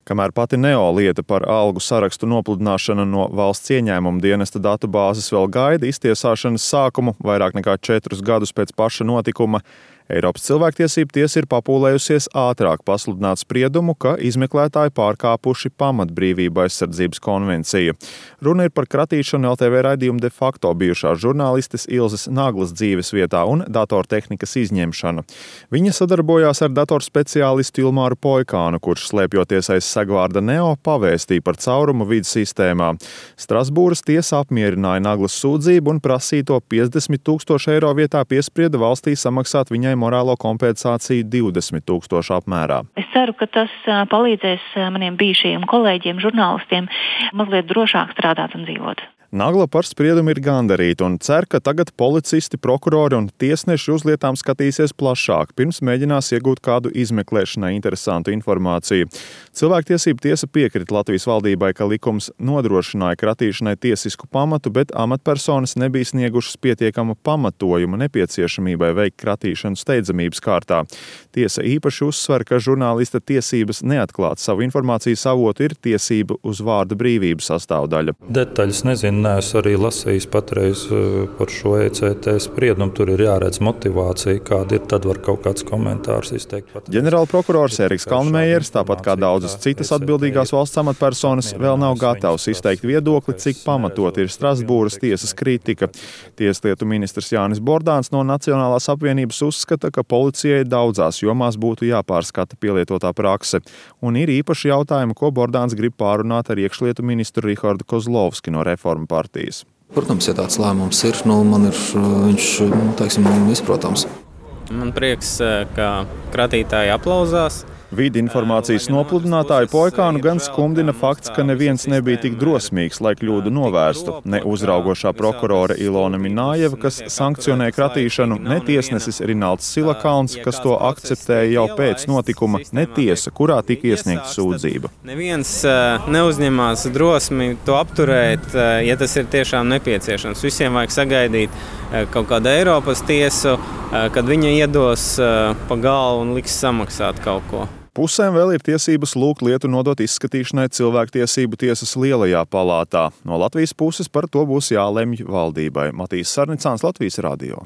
Kamēr pati Neo lieta par algu sarakstu nopludināšanu no valsts ieņēmuma dienesta datu bāzes vēl gaida iztiesāšanas sākumu vairāk nekā 4 gadus pēc paša notikuma, Eiropas cilvēktiesību tiesa ir papūlējusies ātrāk pasludināt spriedumu, ka izmeklētāji pārkāpuši pamatbrīvību aizsardzības konvenciju. Runa ir par kratīšanu LTV raidījumu de facto bijušās žurnālistes Ilzes Naglas dzīves vietā un datortehnikas izņemšanu. Viņa sadarbojās ar datorspeciālistu Ilmāru Poikānu, kurš slēpjoties aiz segvārda Neo pavēstīja par caurumu vides sistēmā. Strasbūras tiesa apmierināja Naglas sūdzību un prasīto 50 000 eiro vietā piesprieda valstī samaksāt viņai morālo kompensāciju 20 000 apmērā. Es ceru, ka tas palīdzēs maniem bijušajiem kolēģiem, žurnālistiem mazliet drošāk strādāt un dzīvot. Nagla par spriedumu ir gandarīta un cer, ka tagad policisti, prokurori un tiesneši uz lietām skatīsies plašāk, pirms mēģinās iegūt kādu izmeklēšanai interesantu informāciju. Cilvēktiesību tiesa piekrita Latvijas valdībai, ka likums nodrošināja kratīšanai tiesisku pamatu, bet amatpersonas nebija sniegušas pietiekamu pamatojumu nepieciešamībai veikt kratīšanu steidzamības kārtā. Tiesa īpaši uzsver, ka žurnālista tiesības neatklāt savu informācijas avotu ir tiesība uz vārda brīvību sastāvdaļa. Detaļas nezinu. Neesmu arī lasījis patreiz par šo ECT spriedumu. Tur ir jāredz motivācija, kāda ir, tad var kaut kāds komentārs izteikt. Ģenerālprokurors Eriks Kalnmējers, tāpat kā daudzas citas atbildīgās valsts amatpersonas, vēl nav gatavs izteikt viedokli, cik pamatot ir Strasbūras tiesas kritika. Tieslietu ministrs Jānis Bordāns no Nacionālās apvienības uzskata, ka policijai daudzās jomās būtu jāpārskata pielietotā prakse. Un ir īpaši jautājumi, ko Bordāns grib pārunāt ar iekšlietu ministru Rihardu Kozlovski no Reformu partijas. Protams, ja tāds lēmums ir, man ir viņš, izprotams. Man prieks, ka kratītāji aplauzās. Vidi informācijas nopludinātāju Poikānu gan skumdina fakts, ka neviens nebija tik drosmīgs, lai kļūdu novērstu. Ne uzraugošā prokurore Ilona Minājeva, kas sankcionē kratīšanu, ne tiesnesis Rinalds Silakalns, kas to akceptēja jau pēc notikuma, ne tiesa, kurā tika iesniegta sūdzība. Neviens neuzņemās drosmi to apturēt, ja tas ir tiešām nepieciešams. Visiem vajag sagaidīt kaut kādu Eiropas tiesu, kad viņa iedos pa galvu un liks samaksāt kaut ko. Pusēm vēl ir tiesības lūgt lietu nodot izskatīšanai cilvēktiesību tiesas lielajā palātā. No Latvijas puses par to būs jālemj valdībai. Matīs Sarnicāns, Latvijas radio.